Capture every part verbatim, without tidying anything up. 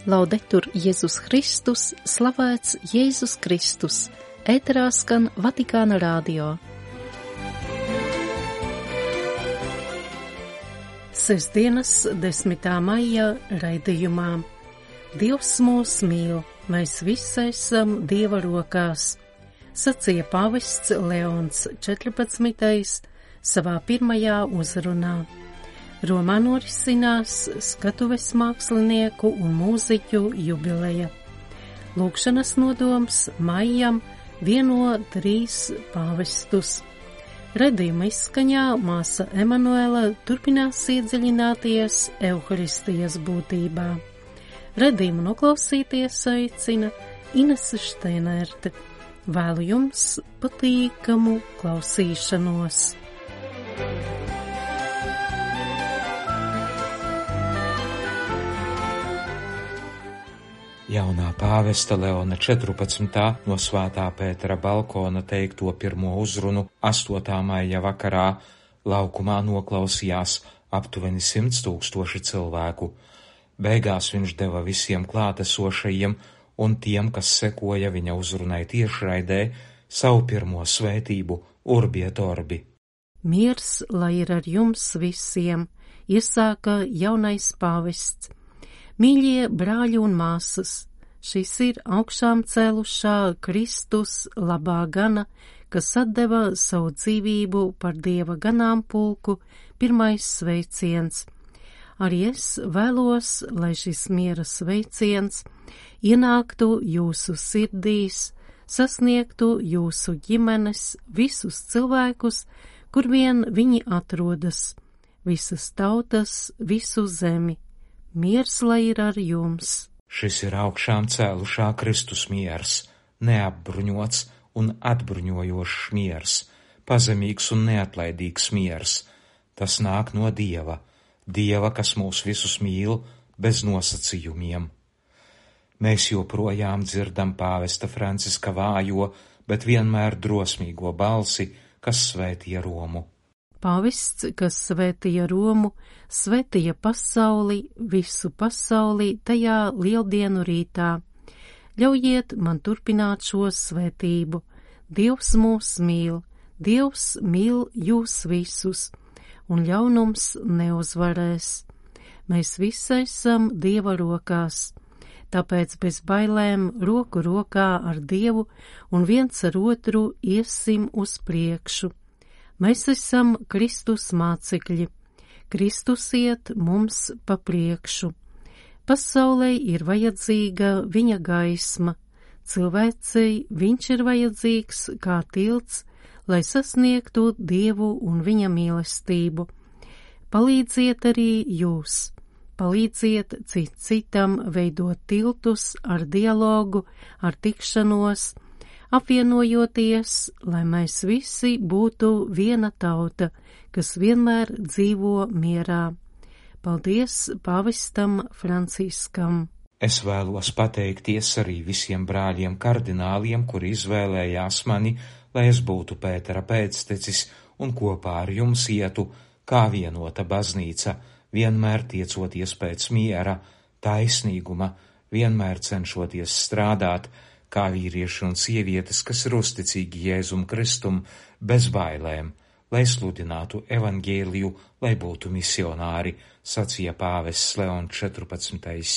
Laudetur Jēzus Kristus, slavēts Jēzus Kristus, ēterā skan Vatikāna radio. Sestdienas desmitā maija raidījumā. Dievs mūs mīl, mēs visi esam Dieva rokās, sacīja pāvests Leons četrpadsmitais savā pirmajā uzrunā. Romā norisinās skatuves mākslinieku un mūziķu jubileja. Lūkšanas nodoms maijam vieno trīs pāvestus. Redījuma izskaņā māsa Emanuela turpinās iedziļināties Euharistijas būtībā. Redījumu noklausīties aicina Inese Šteinerte. Vēlu jums patīkamu klausīšanos. Jaunā pāvesta Leona četrpadsmitā no Svētā Pētera balkona teikto pirmo uzrunu astotā maija vakarā laukumā noklausījās aptuveni simts tūkstoši cilvēku. Beigās viņš deva visiem klātesošajiem un tiem, kas sekoja viņa uzrunai tiešraidē, savu pirmo svētību Urbi et Orbi. Miers, lai ir ar jums visiem, iesāka jaunais pāvests. Mīļie brāļi un māsas, šis ir augšām cēlušā Kristus labā gana, kas atdeva savu dzīvību par Dieva ganāmpulku, pirmais sveiciens. Arī es vēlos, lai šis miera sveiciens ienāktu jūsu sirdīs, sasniegtu jūsu ģimenes, visus cilvēkus, kur vien viņi atrodas, visas tautas, visu zemi. Miers, lai ir ar jums. Šis ir augšām cēlušā Kristus miers, neapbruņots un atbruņojošs miers, pazemīgs un neatlaidīgs miers. Tas nāk no Dieva, Dieva, kas mūs visus mīl bez nosacījumiem. Mēs joprojām dzirdam pāvesta Franciska vājo, bet vienmēr drosmīgo balsi, kas svētīja Romu. Pāvests, kas svētīja Romu, svētīja pasauli, visu pasauli tajā lieldienu rītā. Ļaujiet man turpināt šo svētību. Dievs mūs mīl, Dievs mīl jūs visus, un ļaunums neuzvarēs. Mēs visi esam Dieva rokās, tāpēc bez bailēm roku rokā ar Dievu un viens ar otru iesim uz priekšu. Mēs esam Kristus mācekļi. Kristus iet mums pa priekšu. Pasaulē ir vajadzīga viņa gaisma. Cilvēcei viņš ir vajadzīgs kā tilts, lai sasniegtu Dievu un viņa mīlestību. Palīdziet arī jūs. Palīdziet cit citam veidot tiltus ar dialogu, ar tikšanos, apvienojoties, lai mēs visi būtu viena tauta, kas vienmēr dzīvo mierā. Paldies pāvestam Franciskam. Es vēlos pateikties arī visiem brāļiem kardināliem, kuri izvēlējās mani, lai es būtu Pētera pēctecis un kopā ar jums ietu kā vienota baznīca, vienmēr tiecoties pēc miera, taisnīguma, vienmēr cenšoties strādāt, kā vīrieši un sievietes, kas ir uzticīgi Jēzum Kristum, bez bailēm, lai sludinātu evaņģēliju, lai būtu misionāri, sacīja pāvests Leons četrpadsmitais.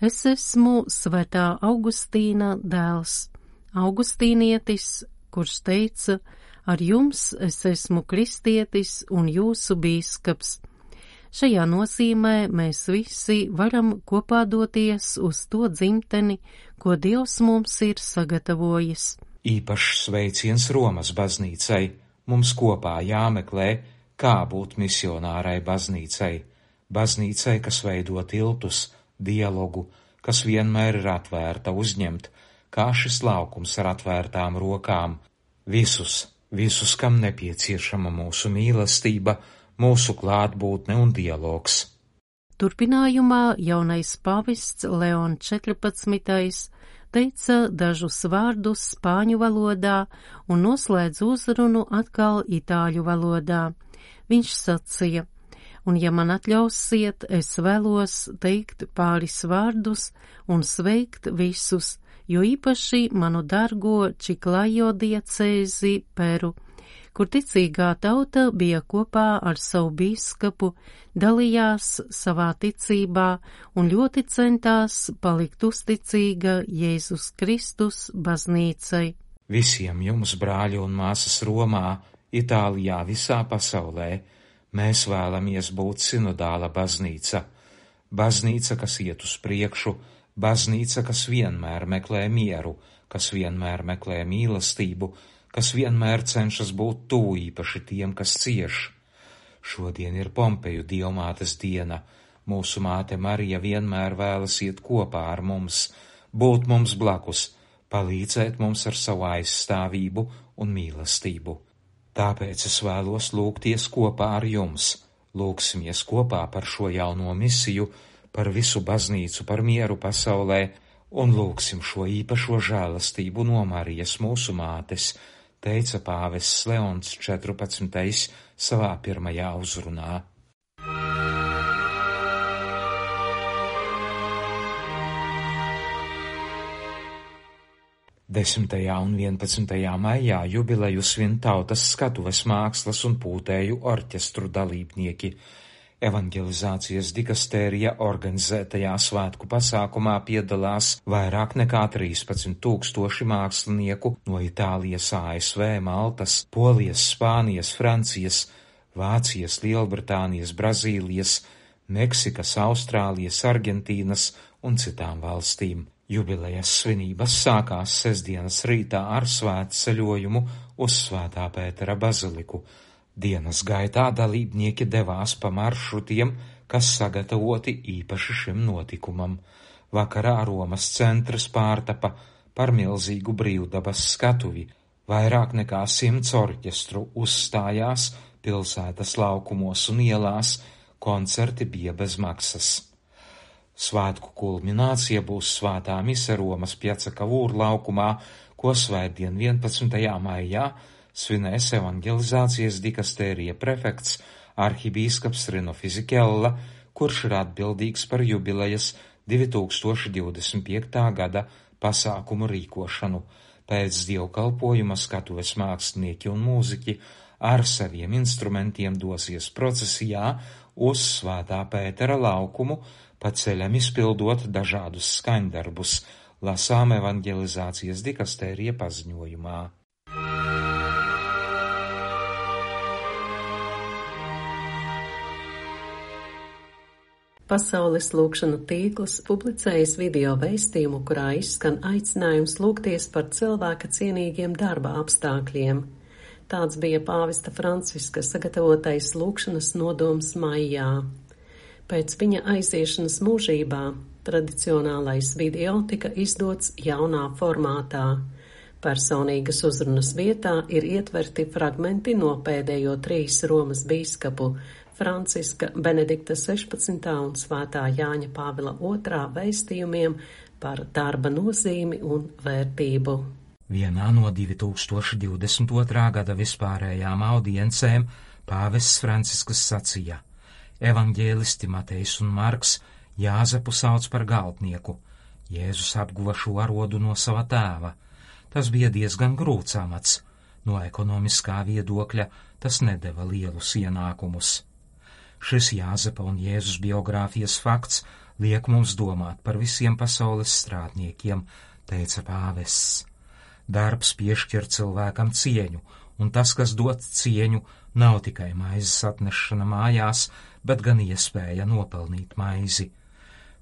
Es esmu svētā Augustīna dēls, augustīnietis, kurš teica, ar jums es esmu kristietis un jūsu bīskaps. Šajā nozīmē mēs visi varam kopā doties uz to dzimteni, ko Dievs mums ir sagatavojis. Īpašs sveiciens Romas baznīcai, mums kopā jāmeklē, kā būt misionārai baznīcai, baznīcai, kas veido tiltus, dialogu, kas vienmēr ir atvērta uzņemt, kā šis laukums ar atvērtām rokām, visus, visus, kam nepieciešama mūsu mīlestība, mūsu klātbūtne un dialogs. Turpinājumā jaunais pāvests Leons četrpadsmitais teica dažus vārdus spāņu valodā un noslēdz uzrunu atkal itāļu valodā. Viņš sacīja: un ja man atļausiet, es vēlos teikt pāris vārdus un sveikt visus, jo īpaši manu dargo Čiklajo diecēzi Peru, kur ticīgā tauta bija kopā ar savu bīskapu, dalījās savā ticībā un ļoti centās palikt uzticīga Jēzus Kristus baznīcai. Visiem jums, brāļi un māsas Romā, Itālijā, visā pasaulē, mēs vēlamies būt sinodāla baznīca. Baznīca, kas iet uz priekšu, baznīca, kas vienmēr meklē mieru, kas vienmēr meklē mīlestību, kas vienmēr cenšas būt tuvu īpaši tiem, kas cieš. Šodien ir Pompeju dievmātes diena. Mūsu māte Marija vienmēr vēlas iet kopā ar mums, būt mums blakus, palīdzēt mums ar savu aizstāvību un mīlestību. Tāpēc es vēlos lūgties kopā ar jums. Lūgsimies kopā par šo jauno misiju, par visu baznīcu, par mieru pasaulē, un lūgsim šo īpašo žēlastību no Marijas mūsu mātes, teica pāvests Leons četrpadsmitais savā pirmajā uzrunā. desmitajā un vienpadsmitajā maijā jubileju svin tautas skatuves mākslas un pūtēju orķestru dalībnieki. Evangelizācijas dikastērija organizētajā svētku pasākumā piedalās vairāk nekā trīspadsmit tūkstoši mākslinieku no Itālijas, A S V, Maltas, Polijas, Spānijas, Francijas, Vācijas, Lielbritānijas, Brazīlijas, Meksikas, Austrālijas, Argentīnas un citām valstīm. Jubilejas svinības sākās sestdienas rītā ar svētceļojumu uz Svētā Pētera baziliku. Dienas gaitā dalībnieki devās pa maršrutiem, kas sagatavoti īpaši šim notikumam. Vakarā Romas centrs pārtapa par milzīgu brīvdabas skatuvi. Vairāk nekā simts orķestru uzstājās pilsētas laukumos un ielās, koncerti bija bez maksas. Svētku kulminācija būs svētā mise Romas Piaca Cavour laukumā, ko svētdien vienpadsmitajā maijā svinēs evangelizācijas dikastērija prefekts arhibīskaps Rino Fisichella, kurš ir atbildīgs par jubilejas divi tūkstoši divdesmit piektā gada pasākumu rīkošanu. Pēc dievkalpojuma skatuves mākslinieki un mūziķi ar saviem instrumentiem dosies procesijā uz Svētā Pētera laukumu, pa ceļam izpildot dažādus skaņdarbus, lasām evangelizācijas dikastērija paziņojumā. Pasaules lūgšanu tīkls publicējis video vēstījumu, kurā izskan aicinājums lūgties par cilvēka cienīgiem darba apstākļiem. Tāds bija pāvesta Franciska sagatavotais lūgšanas nodoms maijā. Pēc viņa aiziešanas mūžībā tradicionālais video tika izdots jaunā formātā. Personīgas uzrunas vietā ir ietverti fragmenti no pēdējo trīs Romas bīskapu Franciska, Benedikta sešpadsmitā un Svētā Jāņa Pāvila otrā vēstījumiem par darba nozīmi un vērtību. Vienā no divi tūkstoši divdesmit otrā gada vispārējām audiencēm pāvests Francisks sacīja: Evaņģēlisti Matejs un Marks Jāzepu sauc par galdnieku. Jēzus apguva šo arodu no sava tēva. Tas bija diezgan grūts amats. No ekonomiskā viedokļa tas nedeva lielus ienākumus. Šis Jāzepa un Jēzus biogrāfijas fakts liek mums domāt par visiem pasaules strādniekiem, teica pāvests. Darbs piešķir cilvēkam cieņu, un tas, kas dod cieņu, nav tikai maizes atnešana mājās, bet gan iespēja nopelnīt maizi.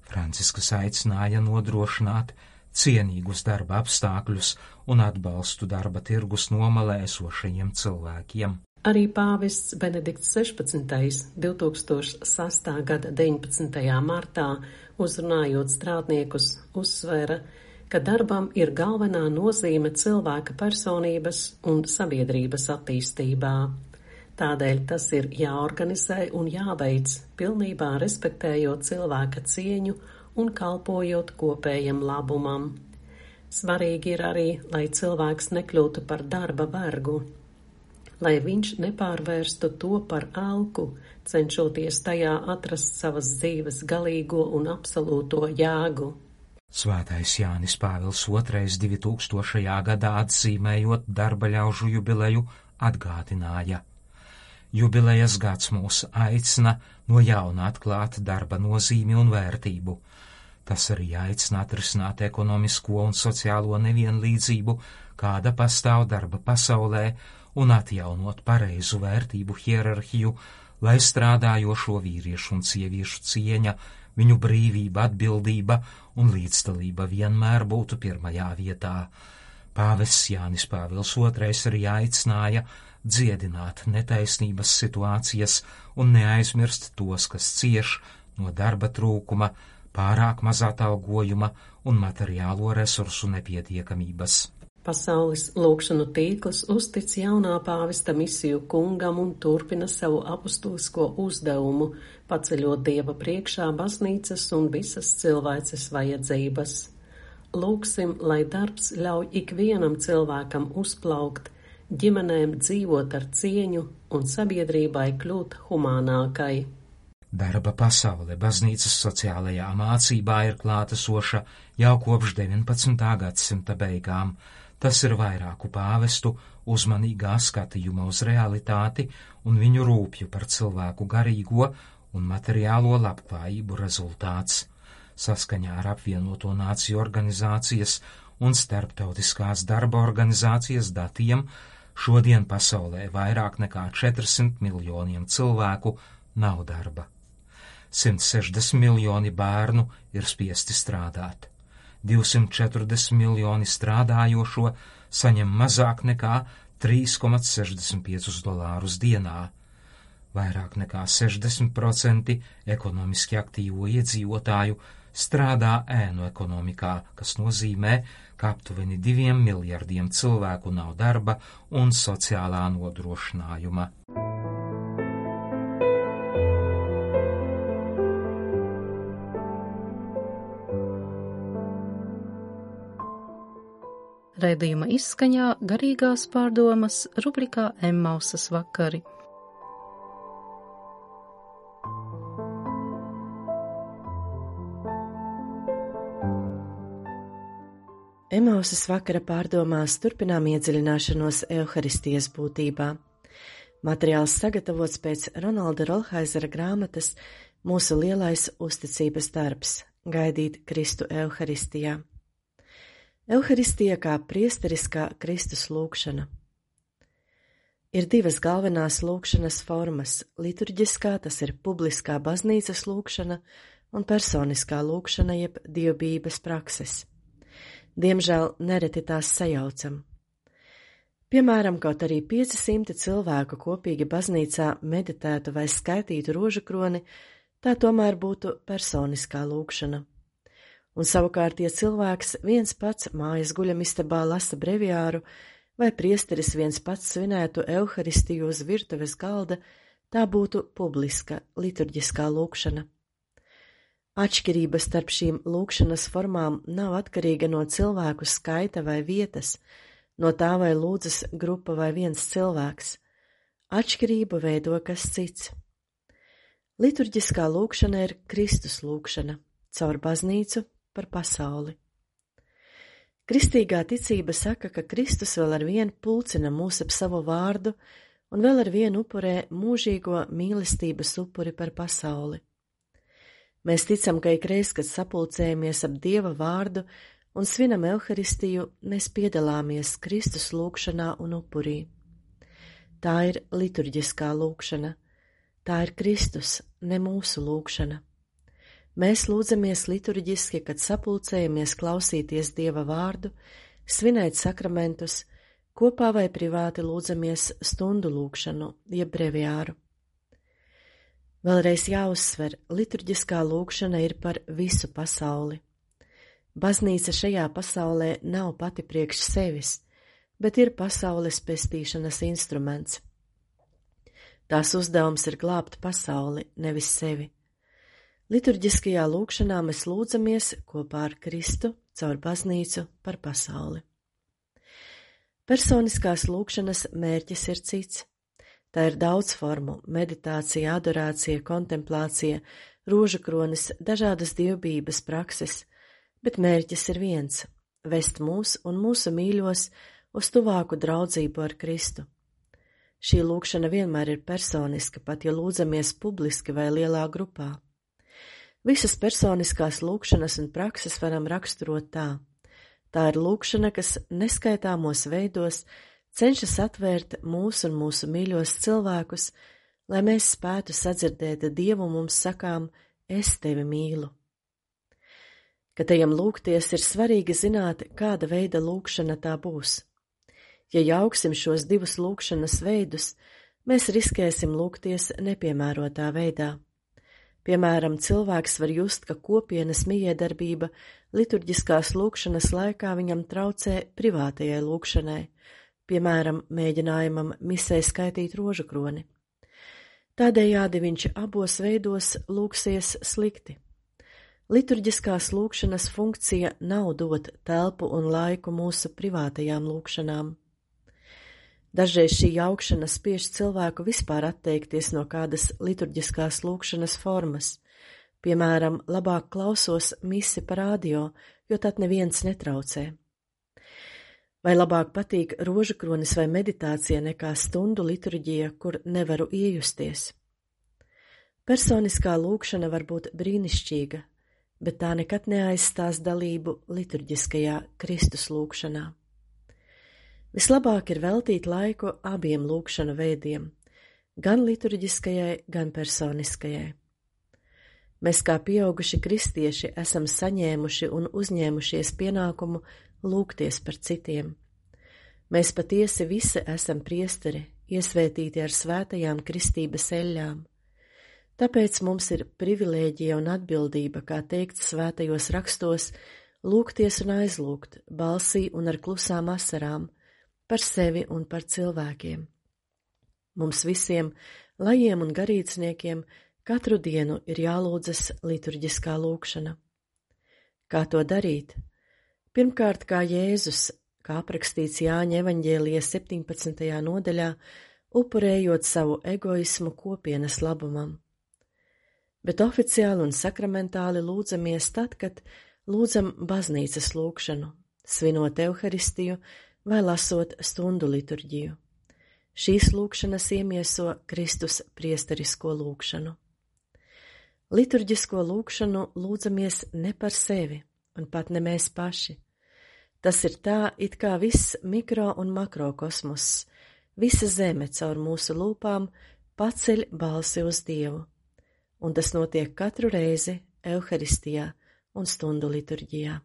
Francisks aicināja nodrošināt cienīgus darba apstākļus un atbalstu darba tirgus nomalē esošajiem cilvēkiem. Arī pāvests Benedikts sešpadsmitais divi tūkstoši sastā gada deviņpadsmitajā martā, uzrunājot strādniekus, uzsvēra, ka darbam ir galvenā nozīme cilvēka personības un sabiedrības attīstībā. Tādēļ tas ir jāorganizē un jāveic, pilnībā respektējot cilvēka cieņu un kalpojot kopējam labumam. Svarīgi ir arī, lai cilvēks nekļūtu par darba vergu. lai viņš nepārvērstu to par elku, cenšoties tajā atrast savas dzīves galīgo un absolūto jēgu. Svētais Jānis Pāvils otrais divi tūkstošajā gadā atzīmējot darba ļaužu jubileju atgādināja. Jubilejas gads mūs aicina no jauna atklāt darba nozīmi un vērtību. Tas arī aicina atrisināt ekonomisko un sociālo nevienlīdzību, kāda pastāv darba pasaulē, un atjaunot pareizu vērtību hierarhiju, lai strādājošo vīriešu un sieviešu cieņa, viņu brīvība, atbildība un līdzdalība vienmēr būtu pirmajā vietā. Pāvests Jānis Pāvils otrais arī aicināja dziedināt netaisnības situācijas un neaizmirst tos, kas cieš no darba trūkuma, pārāk maz atalgojuma un materiālo resursu nepietiekamības. Pasaules lūgšanu tīkls uztic jaunā pāvesta misiju kungam un turpina savu apustulisko uzdevumu, paceļot Dieva priekšā baznīcas un visas cilvēces vajadzības. Lūgsim, lai darbs ļauj ikvienam cilvēkam uzplaukt, ģimenēm dzīvot ar cieņu un sabiedrībai kļūt humānākai. Darba pasaule baznīcas sociālajā mācībā ir klātesoša jau kopš deviņpadsmitā gadsimta beigām. Tas ir vairāku pāvestu uzmanīgā skatījuma uz realitāti un viņu rūpju par cilvēku garīgo un materiālo labklājību rezultāts. Saskaņā ar apvienoto nāciju organizācijas un starptautiskās darba organizācijas datiem šodien pasaulē vairāk nekā četrsimt miljoniem cilvēku nav darba. simt sešdesmit miljoni bērnu ir spiesti strādāt. divsimt četrdesmit miljoni strādājošo saņem mazāk nekā trīs komats sešdesmit piecus dolārus dienā. Vairāk nekā sešdesmit procenti ekonomiski aktīvo iedzīvotāju strādā ēnu ekonomikā, kas nozīmē, ka aptuveni diviem miljardiem cilvēku nav darba un sociālā nodrošinājuma. Raidījuma izskaņā garīgās pārdomas rubrikā Emmausas vakari. Emmausas vakara pārdomās turpinām iedziļināšanos Euharistijas būtībā. Materiāls sagatavots pēc Ronalda Rolhaizera grāmatas Mūsu lielais uzticības darbs – gaidīt Kristu Euharistijā. Euharistija kā priesteriskā Kristus lūgšana. Ir divas galvenās lūgšanas formas – liturģiskā, tas ir publiskā baznīcas lūgšana, un personiskā lūgšana jeb dievbijības prakses. Diemžēl nereti tās sajaucam. Piemēram, kaut arī pieci simti cilvēku kopīgi baznīcā meditētu vai skaitītu rožu kroni, tā tomēr būtu personiskā lūgšana. Un savukārt, ja cilvēks viens pats mājas guļamistabā lasa breviāru, vai priesteris viens pats svinētu Euharistiju uz virtuves galda, tā būtu publiska, liturģiskā lūgšana. Atšķirība starp šīm lūgšanas formām nav atkarīga no cilvēku skaita vai vietas, no tā vai lūdzas grupa vai viens cilvēks. Atšķirību veido kas cits. Liturģiskā lūgšana ir Kristus lūgšana, caur baznīcu par pasauli. Kristīgā ticība saka, ka Kristus vēl ar vienu pulcina mūs ap savu vārdu un vēl ar vienu upurē mūžīgo mīlestības upuri par pasauli. Mēs ticam, ka ikreiz, kad sapulcējamies ap Dieva vārdu un svinam Euharistiju, mēs piedalāmies Kristus lūgšanā un upurī. Tā ir liturģiskā lūgšana, tā ir Kristus, ne mūsu lūgšana. Mēs lūdzamies liturģiski, kad sapulcējamies klausīties Dieva vārdu, svinēt sakramentus, kopā vai privāti lūdzamies stundu lūgšanu, jeb breviāru. Vēlreiz jāuzsver, liturģiskā lūgšana ir par visu pasauli. Baznīca šajā pasaulē nav pati priekš sevis, bet ir pasaules pestīšanas instruments. Tās uzdevums ir glābt pasauli, nevis sevi. Liturģiskajā lūgšanā mēs lūdzamies kopā ar Kristu caur baznīcu par pasauli. Personiskās lūgšanas mērķis ir cits. Tā ir daudz formu – meditācija, adorācija, kontemplācija, rožakronis, dažādas dievbības prakses, bet mērķis ir viens – vest mūs un mūsu mīļos uz tuvāku draudzību ar Kristu. Šī lūgšana vienmēr ir personiska, pat ja lūdzamies publiski vai lielā grupā. Visas personiskās lūgšanas un prakses varam raksturot tā. Tā ir lūgšana, kas neskaitāmos veidos cenšas atvērt mūs un mūsu mīļos cilvēkus, lai mēs spētu sadzirdēt Dievu mums sakām, es tevi mīlu. Kad ejam lūgties, ir svarīgi zināt, kāda veida lūgšana tā būs. Ja jauksim šos divus lūgšanas veidus, mēs riskēsim lūgties nepiemērotā veidā. Piemēram, cilvēks var just, ka kopienas mijiedarbība liturģiskās lūgšanas laikā viņam traucē privātajai lūgšanai, piemēram, mēģinājumam misē skaitīt rožakroni. Tādējādi viņš abos veidos lūgsies slikti. Liturģiskās lūgšanas funkcija nav dot telpu un laiku mūsu privātajām lūgšanām. Dažreiz šī jaukšana spiež cilvēku vispār atteikties no kādas liturģiskās lūgšanas formas, piemēram, labāk klausos misi pa radio, jo tad neviens netraucē. Vai labāk patīk rožakronis vai meditācija nekā stundu liturģija, kur nevaru iejusties. Personiskā lūgšana var būt brīnišķīga, bet tā nekad neaizstās dalību liturģiskajā Kristus lūgšanā. Vislabāk ir veltīt laiku abiem lūgšanu veidiem, gan liturģiskajai, gan personiskajai. Mēs kā pieauguši kristieši esam saņēmuši un uzņēmušies pienākumu lūgties par citiem. Mēs patiesi visi esam priesteri, iesvētīti ar svētajām kristības eļļām. Tāpēc mums ir privilēģija un atbildība, kā teikts svētajos rakstos, lūgties un aizlūgt, balsī un ar klusām asarām, par sevi un par cilvēkiem. Mums visiem, lajiem un garīdzniekiem, katru dienu ir jālūdzas liturģiskā lūgšana. Kā to darīt? Pirmkārt, kā Jēzus, kā aprakstīts Jāņa evaņģēlija septiņpadsmitajā nodaļā, upurējot savu egoismu kopienas labumam. Bet oficiāli un sakramentāli lūdzamies tad, kad lūdzam baznīcas lūgšanu, svinot Euharistiju vai lasot stundu liturģiju. Šīs lūgšanas iemieso Kristus priesterisko lūgšanu. Liturģisko lūgšanu lūdzamies ne par sevi un pat ne mēs paši. Tas ir tā, it kā viss mikro un makrokosmoss, visa zeme caur mūsu lūpām paceļ balsi uz Dievu, un tas notiek katru reizi Euharistijā un stundu liturģijā.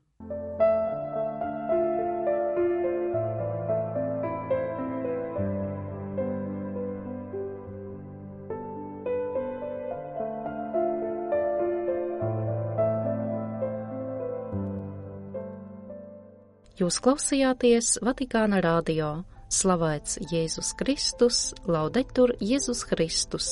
Jūs klausījāties Vatikāna radio. Slavēts Jēzus Kristus, laudetur Jēzus Kristus.